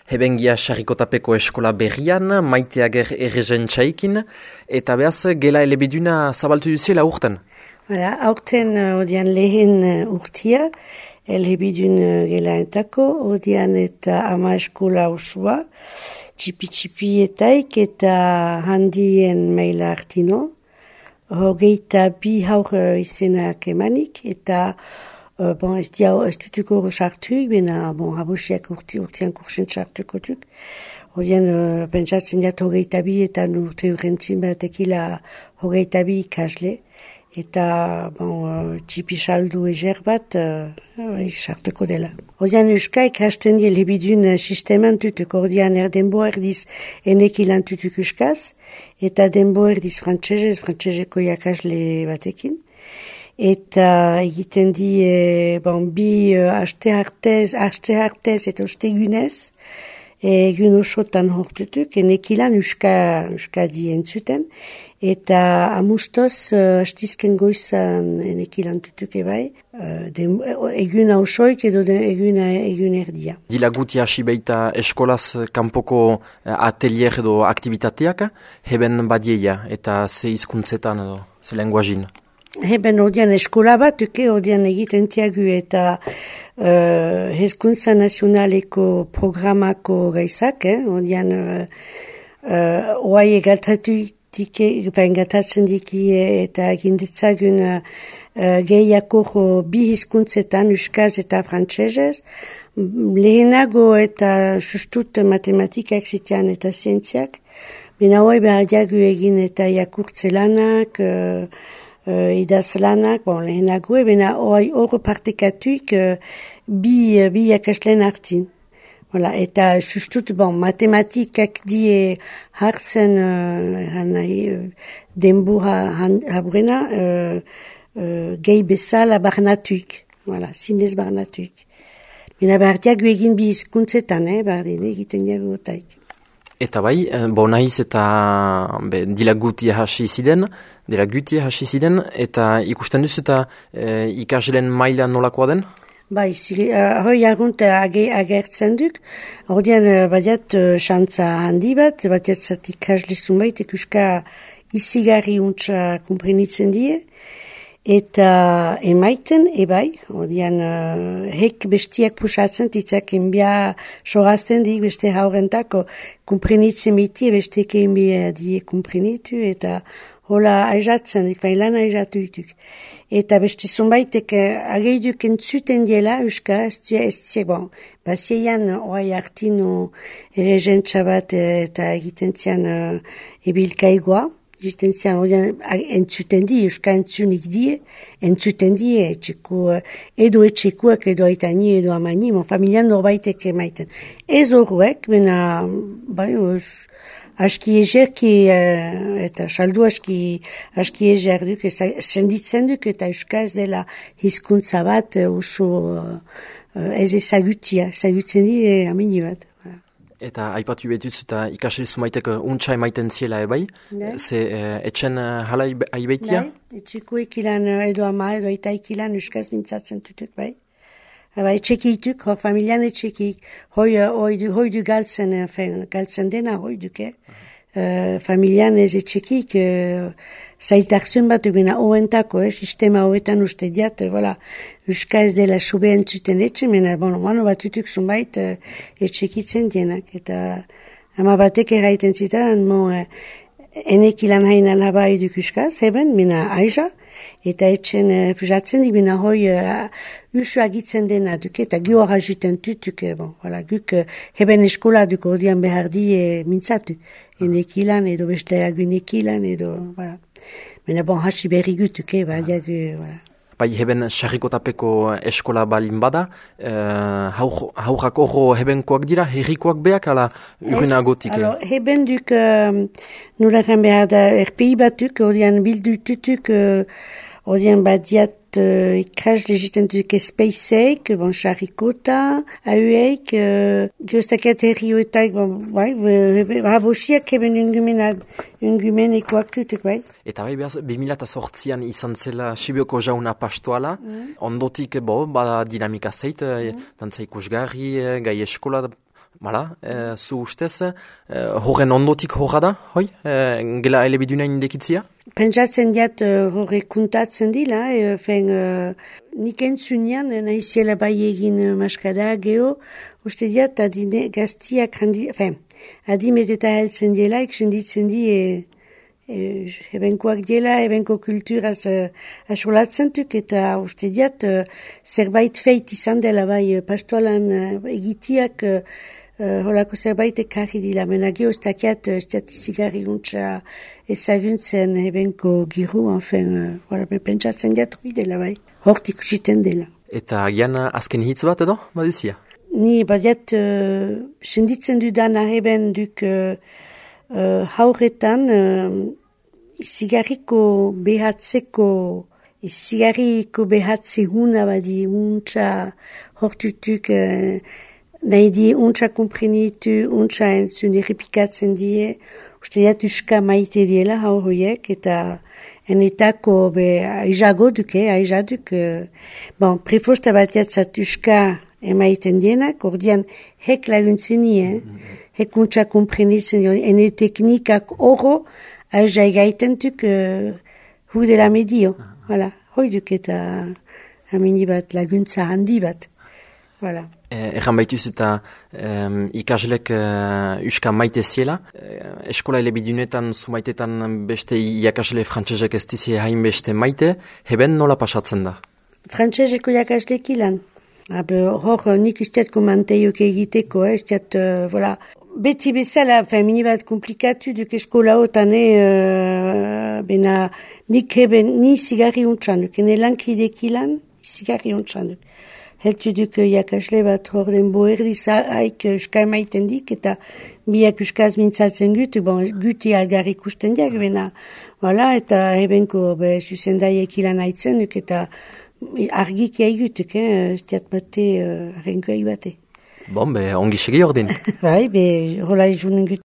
Hebengia Sarrikotapeko eskola berrian, Maiteager errezen txaikin, eta behaz gela elebiduna zabaltu duziela urten. Aurten odian lehen urtia, elebidun gela entako, odian eta ama eskola osua, txipi-txipietaik eta handien maila hartino, hogeita bi haur izenak emanik, eta ez dutuko sartuik, bena habosiak urtean kursen sartuko duk. Horien, pentsatzen jat hogeita bi eta urte urrentzin batekila hogeita bi ikasle. Eta txipi saldu ezer bat sartuko dela. Horien euskaik hasten die lebidun sisteman tutuk. Horien denbo erdiz enekilan tutuk euskaz, eta denbo erdiz frantseseko jakasle batekin. Eta egiten di bi aste hartez eta ostegunez, egun osotan hortutuk, enekilan euska di entzuten, eta amustoz hastizken goizan enekilan tutuk ebai, egun hausoik edo egun erdia. Dilaguti hasi baita eskolaz kanpoko atelier edo aktivitateak, heben badieia eta ze hizkuntzetan edo ze lenguazin. Heben odian eskola bat, odian egiten tiagu eta hezkuntza nazionaleko programako gaizak, odian oai gatatzen diki eta egindetzagun gehiako bi hizkuntzetan, euskaz eta frantsesez, lehenago eta sustut matematikak zitean eta zientziak, bina oai behar diagu egin eta jakurtzelanak, idazlanak, lehenago, bena hor partekatuik bi jakaslen hartin. Eta sustut, matematikak die hartzen denbora habrena gehi bezala barnatuik. Zinez barnatuik. Bena behar diagu egin bi hizkuntzetan, egiten diagu otaik. Eta bai, naiz eta dilagutia hasi ziren, eta ikusten duzu eta ikasleen maila nolakoa den? Bai, hoi argunt agertzen duk, ordean badiat xantza handi bat ikasle zunbait, euska izigarri untsa kumprenitzen die, eta emaiten, ebai, ordean hek bestiak pusatzen, titzak enbia sorazten dik, beste haurentako kumprenitzen biti, beste enbia die kumprenitu, eta hola aizatzen dik, lan aizatu dituk. Eta beste zunbaitek ageiduk entzuten diela, euska, bazeian oai hartino errezen txabat eta egiten zian ebilkaigoa, egiten zian entzuten di, euska entzunik die, entzuten die, edo etxekuak, edo aitani, edo amani, familian norbaitek emaiten. Ez horrek, bena, aski ezerki eta saldu aski ezer duk, senditzen duk eta euska ez dela hizkuntza bat oso ez ezagutzen di amini bat. Eta aipatu betuz eta ikasle zumaitek untsa emaiten ziela ebai, ze etxen hala aibeitia? Bai, etxeko ekilan edo ama edo eta ekilan euskaz mintzatzen tutuk bai. Etxekituk, familian etxekik, hoi du galtzen dena, hoi duke. Familian ez etxekik, zailtarzun bat bena oentako, sistema hoetan uste diat, euska ez dela sobe entzuten etxe, mena, mano bat utuk zunbait etxekitzen dienak. Eta ama batek eraiten zitan, enekilan hain alaba eduk euskaz, heben, mena aiza, eta etxen fuzatzen di bina hoi usu agitzen dena duke, eta gio arraziten tutuke, guk heben eskola duko odian behar di mintzatu, enekilan edo beste agunekilan edo, mena hasi berri gutuke, Bai, heben Sarrikotapeko eskola balin bada, haurrak horro hebenkoak dira, herrikoak beak, ala urinagotik? Heben duk, nolakan behar da, RPI batuk, odian bildu tutuk, odian badiat ikasle egiten duk espeizek, Sarrikota, aueik, gioztaket herrioetak, habosiak heben ungumenekoak tutuk, bai. Eta bai, behaz, 2008an izan zela Sibioko jauna pastoala, ondotik, bada dinamika zeit, dantza ikusgarri, gai eskola Bala, zu ustez, horren ondotik horra da, hoi? Gela elebidunain dekitzia? Pentsatzen diat horre kuntatzen dila, nik entzunean, nahiziela bai egin maskada geho, uste diat adine gaztiak adimet eta heltzen dela, iksenditzen di ebenkoak dela, ebenko kulturaz asolatzen duk, eta uste diat zerbait feit izan dela bai pastoalan egitiak holako zerbait ekarri dila. Mena geho ez dakiat statizigarri guntza ezaguntzen ebenko giru, pentsatzen diat hori dela bai, hortik usiten dela. Eta gian azken hitz bat edo, badizia? Ni badiat senditzen dudan aheben duk hauretan zigarriko behatze huna badi untsa hortutuk nahi die untsa komprenitu, untsa entzun errepikatzen die, uste diat uska maite diela hauroiek eta enetako aizago duke, aizaduk prefosta batiat zat uska emaiten dienak, ordian hek laguntzen nie, hek untsa komprenitzen die, ene teknikak oro aiza egaitentuk hu dela medio, hoi duk eta amini bat laguntza handi bat. Erran baituz eta ikaslek uska maite ziela. Eskola elebidunetan zumaitetan beste iakasle frantsesek ez dizie hain beste maite. Heben nola pasatzen da? Frantseseko iakaslek ilan. Hor nik usteat komanteiok egiteko, beti bezala, mini bat komplikatu duk eskola otan, bena nik heben ni zigarri untsanuk, ene lankidek ilan, zigarri untsanuk. Heltu duk jakasle bat hor den boerdiz haik uska emaiten dik, eta biak uskaz mintzatzen guti algar ikusten diak, bena, eta ebenko zuzendaiek ilan haitzen duk, eta argik egutuk, ez diat bate, arrenko egibate. Ongi segi ordin. Bai, hola izunen gut.